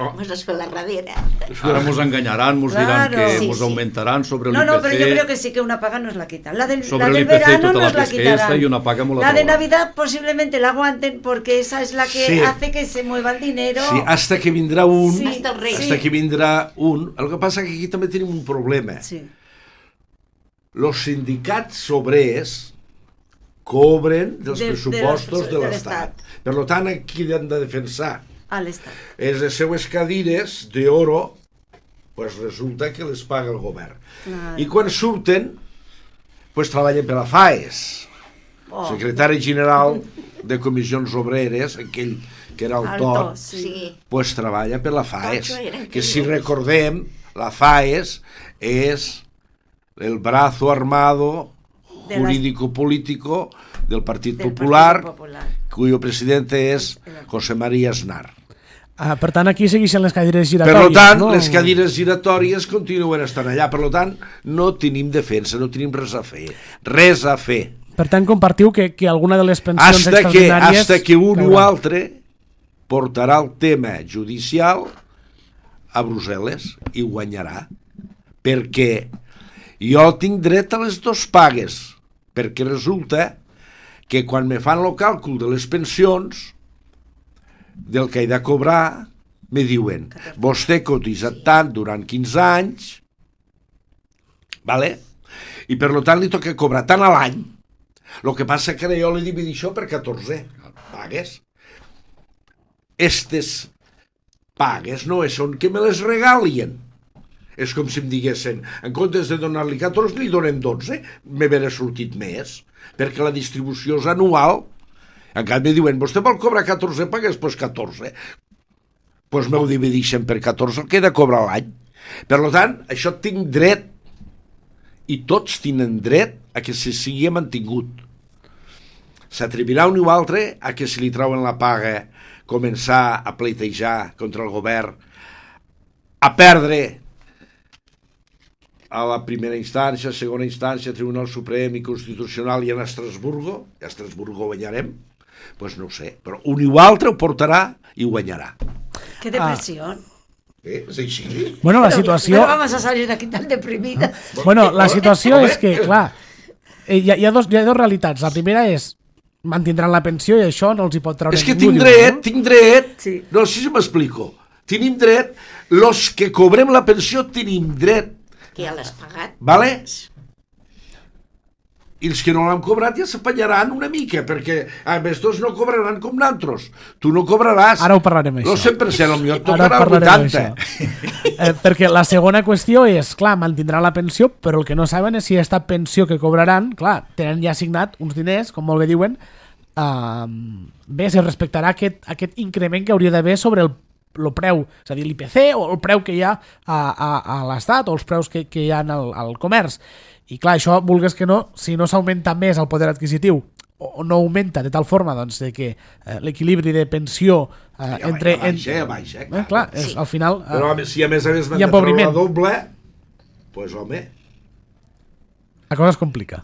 Oh. Mos has fet la darrera. Ahora nos engañarán, nos dirán Claro. que Sí, nos sí. aumentarán sobre el No, I P C. no, pero yo creo que sí que una paga nos la quitan. La del, Sobre la del el I P C verano tota la nos la pesca esta quitarán. y una paga molt La de atrevada. Navidad posiblemente la aguanten porque esa es la que Sí. hace que se mueva el dinero. sí, hasta que vindrà un, Sí, Hasta el rei. hasta sí. que vindrà un... El que passa que aquí també tenim un problema. Sí. Los sindicats obrers cobren dels De- de pressupostos los- de de l'Estat. l'Estat. Per tant, aquí han de defensar Al Estado. és les seues cadires d'oro, pues resulta que les paga el govern. Claro. I quan surten, pues treballen per la FAES. Oh. Secretari general de comissions obreres, aquell que era el Alto, Tot, sí. Sí. pues treballa per la FAES. Tot això eren Que si quillos. recordem, la FAES és el brazo armado De las- jurídico-político del Partit Del Popular, Partido Popular. cuyo presidente és José María Aznar. Uh, per tant, aquí segueixen les cadires Per giratòries. tant, no? les cadires giratòries continuen estant allà. Per tant, no tenim defensa, no tenim res a fer. Res a fer. Per tant, compartiu que, que alguna de les pensions Hasta que, extraordinàries... hasta que un o caurà. altre portarà el tema judicial a Brussel·les i guanyarà. Perquè jo tinc dret a les dues pagues. Perquè resulta que quan me fan el càlcul de les pensions, del que he de cobrar, me diuen, vostè ha cotitzat tant durant quinze anys, vale? I per tant li toca cobrar tant a l'any. El que passa que jo li divido això per catorze pagues. Estes pagues no són que me les regalien. És com si em diguessin, en comptes de donar-li catorze, li donem dotze, m'haurà sortit més, perquè la distribució és anual. En canvi diuen, vostè vol cobrar catorze pagues? Doncs pues catorze. Doncs pues m'ho divideixen per catorze, el que he de cobrar l'any. Per tant, això tinc dret, i tots tenen dret a que se sigui mantingut. S'atrevirà un o altre a que si li trauen la paga començar a pleitejar contra el govern, a perdre a la primera instància, segona instància, Tribunal Suprem i Constitucional i en Estrasburgo, i a Estrasburgo guanyarem, doncs pues no ho sé, però un o altre ho portarà i guanyarà. Qué depresión. Eh? És així? Bueno, la Pero- situació... pero vamos a salir de aquí tan deprimidas. Bueno, la situació és que, clar, eh, hi ha, hi ha, dos, hi ha dos realitats. La primera és mantindran la pensió i això no els hi pot treure És que ningú. tinc diuen, dret, no? tinc dret, Sí. no sé si m'explico, tenim dret, los que cobrem la pensió tenim dret, Que ja l'has pagat. vale? I els que no l'han cobrat ja s'apanyaran una mica, perquè a més tots no cobraran com nosaltres. Tu no cobraràs Ara ho parlarem, això. el cent per cent, potser et Ara tocarà el parlarem vuitanta. d'això. Eh, perquè la segona qüestió és, clar, mantindran la pensió, però el que no saben és si aquesta pensió que cobraran, clar, tenen ja assignat uns diners, com molt bé diuen, uh, bé, se respectarà aquest, aquest increment que hauria d'haver sobre el, el preu, és a dir, l'I P C o el preu que hi ha a, a, a l'Estat o els preus que, que hi ha al, al comerç. I clar, això, vulgues que no, si no s'augmenta més el poder adquisitiu o no augmenta de tal forma doncs, de que eh, l'equilibri de pensió eh, ja entre... Ja baixa, ja baixa, eh, clar, és, sí. al final... Eh, Però si a més a més m'han de treure la doble, doncs pues, home... La cosa es complica.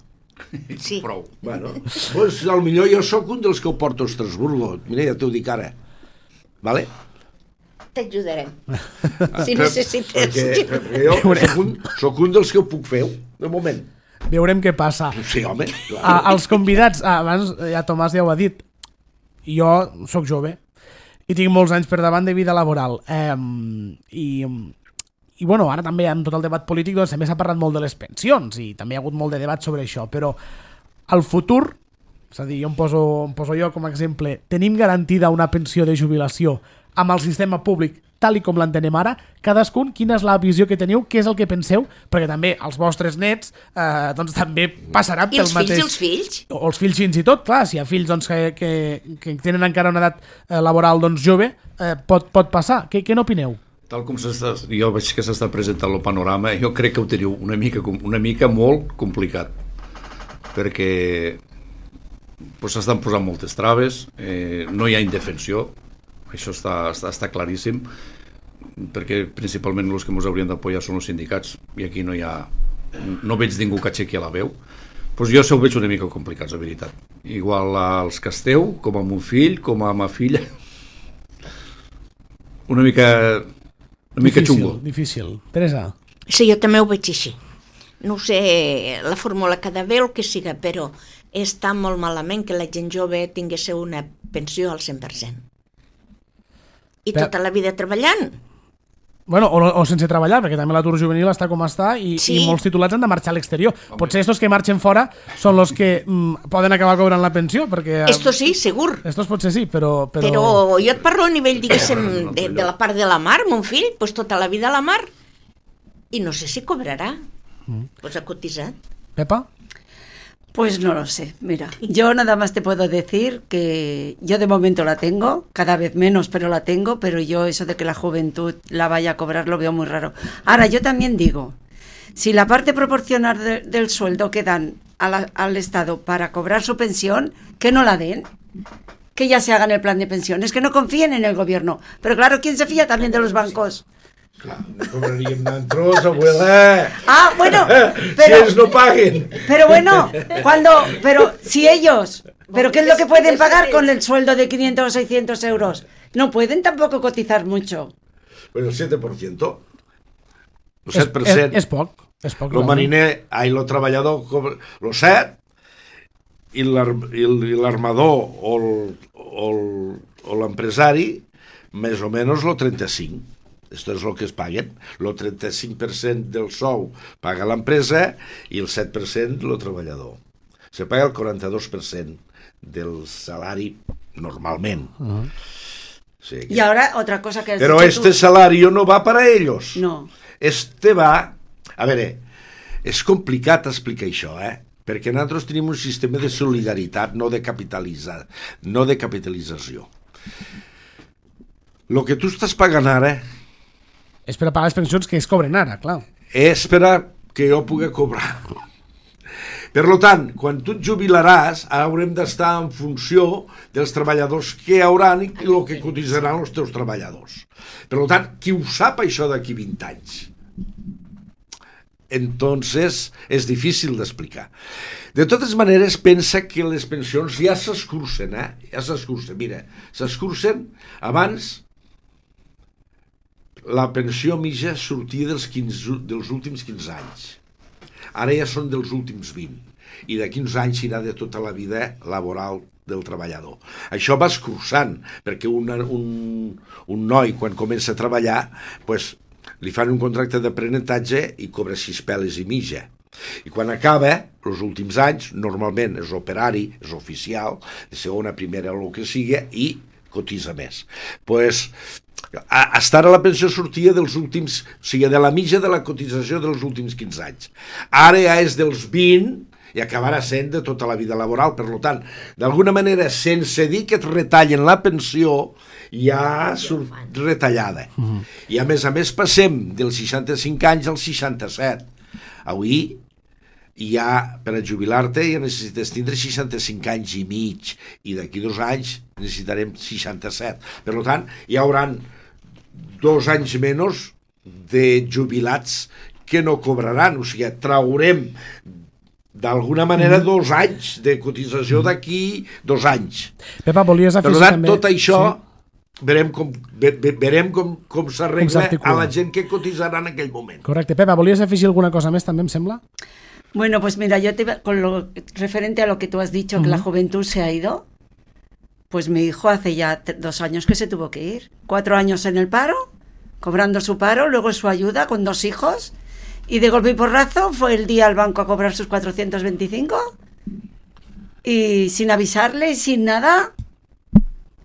Sí. Prou. Bueno, pues, al millor jo sóc un dels que ho porto a Estrasburgo. Mira, ja t'ho dic ara. Vale? T'ajudarem. Si Per- necessites. Perquè, perquè jo sóc un, sóc un dels que ho puc fer, de moment. Veurem què passa. Sí, home, clar. A, als convidats, ah, abans ja Tomàs ja ho ha dit, jo sóc jove i tinc molts anys per davant de vida laboral. Eh, i, I bueno, ara també amb tot el debat polític doncs, també s'ha parlat molt de les pensions i també hi ha hagut molt de debat sobre això, però al futur, és a dir, jo em poso, em poso jo com a exemple, tenim garantida una pensió de jubilació amb el sistema públic tal i com l'entenem ara, cadascun, quina és la visió que teniu, què és el que penseu, perquè també els vostres nets eh, doncs també passaran I pel els mateix... fills i els fills? O els fills fins i tot, clar, si hi ha fills doncs, que, que, que tenen encara una edat eh, laboral doncs, jove, eh, pot, pot passar. Què, què n'opineu? Tal com s'està, jo veig que s'està presentant el panorama, jo crec que ho teniu una mica, una mica molt complicat, perquè pues, s'estan posant moltes traves, eh, no hi ha indefensió, això està, està, està claríssim, perquè principalment els que ens haurien d'apoyar són els sindicats, i aquí no hi ha, no veig ningú que aixequi la veu. Pues jo se ho veig una mica complicats, la veritat. Igual als que esteu, com a mon fill, com a ma filla, una mica, una mica Difícil, xungo. difícil. Teresa? Sí, jo també ho veig així. No sé la fórmula que ha d'haver o el que siga, però està molt malament que la gent jove tingués una pensió al cent per cent. I Però- tota la vida treballant. Bueno, o, o sense treballar, perquè també l'atur juvenil està com està i, Sí. i molts titulats han de marxar a l'exterior. Potser estos que marxen fora són els que mm, poden acabar cobrant la pensió, perquè... eh, Esto sí, segur. Estos potser sí, però... Però, Però jo et parlo a nivell, diguéssim, de, de la part de la mar, mon fill, pues tota la vida a la mar, i no sé si cobrarà. Pues ha cotitzat. Pepa? Pues no lo sé, mira, yo nada más te puedo decir que yo de momento la tengo, cada vez menos, pero la tengo, pero yo eso de que la juventud la vaya a cobrar lo veo muy raro. Ahora, yo también digo, si la parte proporcional de- del sueldo que dan a la- al Estado para cobrar su pensión, que no la den, que ya se hagan el plan de pensiones, que no confíen en el gobierno. Pero claro, ¿quién se fía también de los bancos? Clar, no cobraríem d'entros, abuela. Ah, bueno, Si pero... ells no paguen. Pero bueno, cuando, pero si ellos, pero ¿qué es lo que pueden pagar con el sueldo de quinientos o seiscientos euros? No pueden tampoco cotizar mucho. Bueno, el siete por ciento. El És, set per és, cent. és poc. És poc El realment. mariner, ai, el treballador, cobra el set, i l'ar- i el- i l'armador o el- o el- o l'empresari, més o menys el trenta-cinc. Esto és el que es paguen. El trenta-cinc per cent del sou paga l'empresa i el set per cent el treballador. Se paga el quaranta-dos per cent del salari normalment. Uh -huh. Sí, Y ahora otra cosa que has Pero dicho este tú. salario no va para ellos. No. Este va... A veure, és complicat explicar això, eh? Perquè nosaltres tenim un sistema de solidaritat, no de capitalitzar, no de capitalització. El que tu estàs pagant ara És per a pagar les pensions que es cobren ara, clar. és per a que jo pugui cobrar. Per tant, quan tu et jubilaràs, haurem d'estar en funció dels treballadors que hi hauran i el que cotitzaran els teus treballadors. Per tant, qui ho sap això d'aquí vint anys? Entonces, és difícil d'explicar. De totes maneres, pensa que les pensions ja s'escurcen, eh? Ja s'escurcen. Mira, s'escurcen abans... La pensió mitja sortia dels, quinze, dels últims quinze anys. Ara ja són dels últims vint. I d'aquí uns anys serà de tota la vida laboral del treballador. Això va escurçant, perquè una, un, un noi, quan comença a treballar, pues, li fan un contracte d'aprenentatge i cobra sis peles i mitja. I quan acaba, els últims anys, normalment és operari, és oficial, de segona, primera, el que sigui, i cotitza més. Pues, hasta ara la pensió sortia dels últims, o sigui, de la mitja de la cotització dels últims quinze anys. Ara ja és dels vint i acabarà sent de tota la vida laboral. Per tant, d'alguna manera, sense dir que et retallen la pensió, ja surt retallada. Mm-hmm. I a més a més passem dels seixanta-cinc anys als seixanta-set. Avui ja per a jubilar-te ja necessites tindre seixanta-cinc anys i mig, i d'aquí dos anys necessitarem seixanta-set. Per tant, hi haurà dos anys menys de jubilats que no cobraran, o sigui, traurem d'alguna manera dos anys de cotització d'aquí dos anys. Pepa, volies afegir per tant, també... tot això sí. verem com, ve, verem com, com s'arregla a la gent que cotitzarà en aquell moment. Correcte. Pepa, volies afegir alguna cosa més també, em sembla? Bueno, pues mira, yo te, con lo referente a lo que tú has dicho, uh-huh. que la juventud se ha ido, pues mi hijo hace ya t- dos años que se tuvo que ir. Cuatro años en el paro, cobrando su paro, luego su ayuda con dos hijos, y de golpe y porrazo fue el día al banco a cobrar sus cuatrocientos veinticinco, y sin avisarle y sin nada,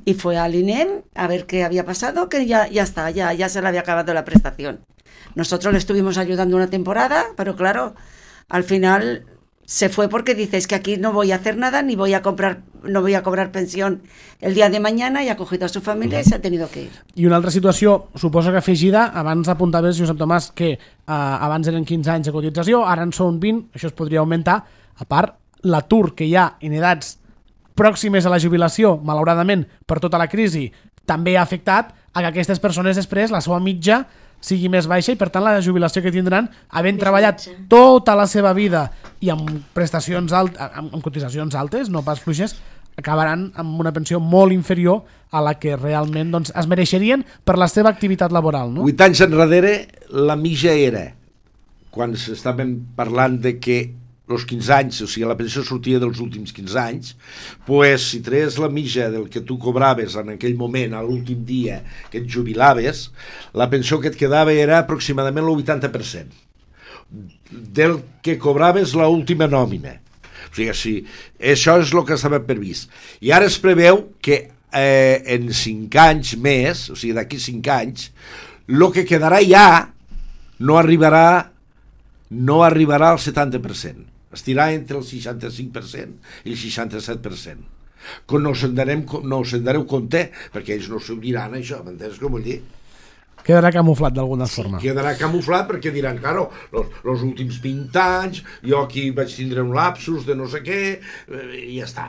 y fue al I N E M a ver qué había pasado, que ya, ya está, ya, ya se le había acabado la prestación. Nosotros le estuvimos ayudando una temporada, pero claro... Al final se fue porque dices que aquí no voy a hacer nada, ni voy a comprar, no voy a cobrar pensión el día de mañana, y ha cogido a su familia y se ha tenido que ir. I una altra situació, suposo que afegida, abans apuntaves, Josep Tomàs, que eh, abans eren quinze anys de cotització, ara en són vint, això es podria augmentar. A part, l'atur que hi ha en edats pròximes a la jubilació, malauradament, per tota la crisi, també ha afectat a que aquestes persones després, la seva mitja, sigui més baixa, i per tant la jubilació que tindran, havent més treballat mitja. Tota la seva vida i amb prestacions alt, amb, amb cotitzacions altes, no pas fluixes, acabaran amb una pensió molt inferior a la que realment doncs, es mereixerien per la seva activitat laboral. No? Vuit anys enrere la mitja era, quan s'estaven parlant de que els quinze anys, o sigui, la pensió sortia dels últims quinze anys, pues, si treies la mitja del que tu cobraves en aquell moment, a l'últim dia que et jubilaves, la pensió que et quedava era aproximadament el vuitanta per cent del que cobraves l'última nòmina. O sigui, sí, això és el que estava previst. I ara es preveu que eh, en cinc anys més, o sigui, d'aquí cinc anys, el que quedarà ja no arribarà no arribarà al setanta per cent. Estirà entre el seixanta-cinc per cent i el seixanta-set per cent. Com no se'n darem, no se'n dareu compte, perquè ells no s'ho diran, això, m'entens com vull dir? Quedarà camuflat d'alguna sí, forma. Quedarà camuflat perquè diran, claro, els últims vint anys, jo aquí vaig tindre un lapsus de no sé què, i ja està.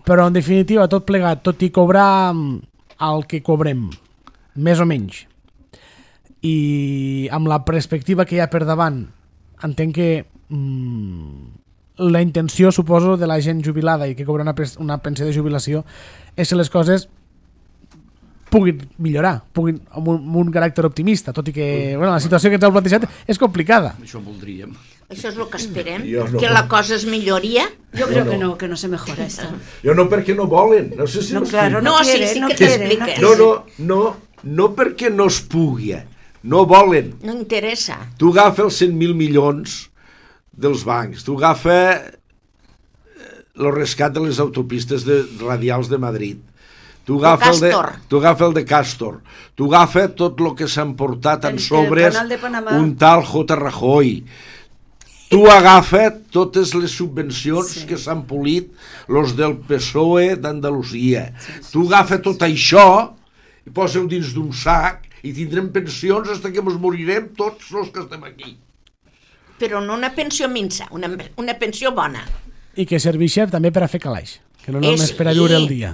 Però, en definitiva, tot plegat, tot i cobrar el que cobrem, més o menys, i amb la perspectiva que hi ha per davant, entenc que mm, la intenció, suposo, de la gent jubilada i que cobra una, una pensió de jubilació és que les coses puguin millorar, puguin amb un, amb un caràcter optimista, tot i que bueno, la situació que ens heu plantejat és complicada. Això voldríem. Això és el que esperem, no. que la cosa es milloria. Yo creo no, no. que no, que no se mejora esto. Jo no, perquè no volen. No sé si no, claro, no, no quiere, sí, sí no que quiere, t'expliques. No, no, no, no perquè no es pugui. No volen. No interessa. Tu agafa els cent mil milions dels bancs, tu agafa el rescat de les autopistes de, radials de Madrid, tu agafa el, el, de, tu agafa el de Castor, tu agafa tot el que s'ha emportat en sobres un tal J. Rajoy, tu agafa totes les subvencions sí. que s'han polit los del P S O E d'Andalusia, sí, sí, tu agafa sí, sí, tot sí. això i posa-ho dins d'un sac i tindrem pensions fins que ens morirem tots els que estem aquí. Però no una pensió minsa, una, una pensió bona. I que serveixi també per a fer calaix, que no només per a viure el dia.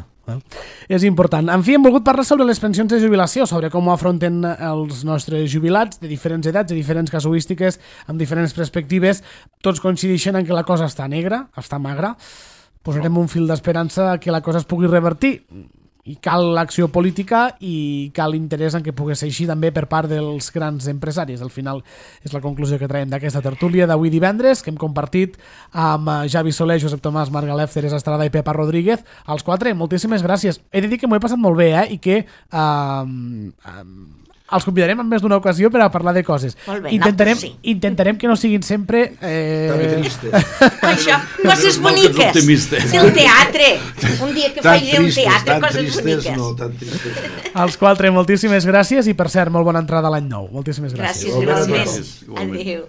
És important. En fi, hem volgut parlar sobre les pensions de jubilació, sobre com ho afronten els nostres jubilats de diferents edats, de diferents casuístiques, amb diferents perspectives. Tots coincideixen en que la cosa està negra, està magra. Posarem un fil d'esperança que la cosa es pugui revertir. I cal l'acció política i cal interès en que pugui ser així també per part dels grans empresaris. Al final és la conclusió que traiem d'aquesta tertúlia d'avui divendres, que hem compartit amb Javi Soler, Josep Tomàs, Marc Galef, Teresa Estrada i Pepa Rodríguez. Als quatre, moltíssimes gràcies. He de dir que m'ho he passat molt bé, eh? I que eh, eh, els convidarem en més d'una ocasió per a parlar de coses. Molt bé, intentarem, sí. intentarem que no siguin sempre... Eh... També tristes. Això, coses boniques. El teatre. Un dia que faci un teatre, coses tristes, boniques. No, tan tristes. Als quatre, moltíssimes gràcies i, per cert, molt bona entrada a l'any nou. Moltíssimes gràcies. Gràcies, igualment. Adéu.